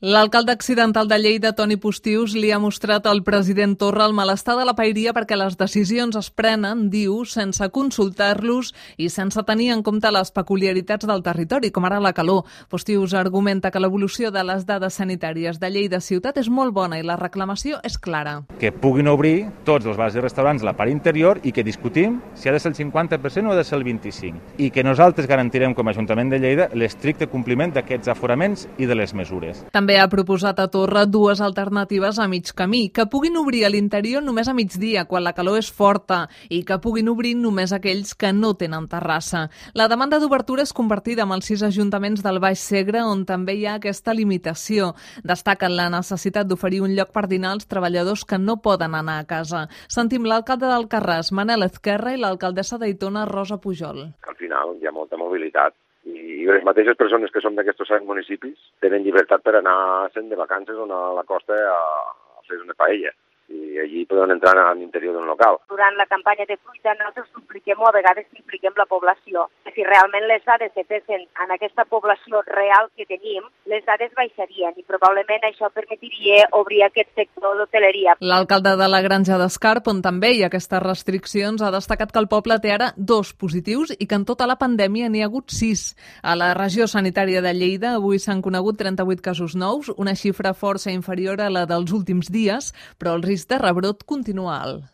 L'alcalde accidental de Lleida, Toni Postius, li ha mostrat al president Torra el malestar de la paeria perquè les decisions es prenen, diu, sense consultar-los i sense tenir en compte les peculiaritats del territori, com ara la calor. Postius argumenta que l'evolució de les dades sanitàries de Lleida ciutat és molt bona i la reclamació és clara. Que puguin obrir tots els bars i restaurants a la part interior i que discutim si ha de ser el 50% o ha de ser el 25%. I que nosaltres garantirem com a Ajuntament de Lleida l'estricte compliment d'aquests aforaments i de les mesures. També ha proposat a Torra dues alternatives a mig camí, que puguin obrir a l'interior només a migdia, quan la calor és forta, i que puguin obrir només aquells que no tenen terrassa. La demanda d'obertura és compartida amb els 6 ajuntaments del Baix Segre, on també hi ha aquesta limitació. Destaquen la necessitat d'oferir un lloc per dinar als treballadors que no poden anar a casa. Sentim l'alcalde d'Alcarràs, Manel Ezquerra, i l'alcaldessa d'Aitona, Rosa Pujol. Al final hi ha molta mobilitat i les mateixes persones que són d'aquests 7 municipis tenen llibertat per anar sent de vacances o anar a la costa a fer una paella. I allí poden entrar a l'interior d'un local. Durant la campanya de fruita nosaltres supliquem o a vegades impliquem la població. Si realment les dades se fessin en aquesta població real que tenim, les dades baixarien i probablement això permetria obrir aquest sector d'hoteleria. L'alcalde de la Granja d'Escarp, on també hi ha aquestes restriccions, ha destacat que el poble té ara 2 positius i que en tota la pandèmia n'hi ha hagut 6. A la regió sanitària de Lleida avui s'han conegut 38 casos nous, una xifra força inferior a la dels últims dies, però el risc de rebrot continua alt.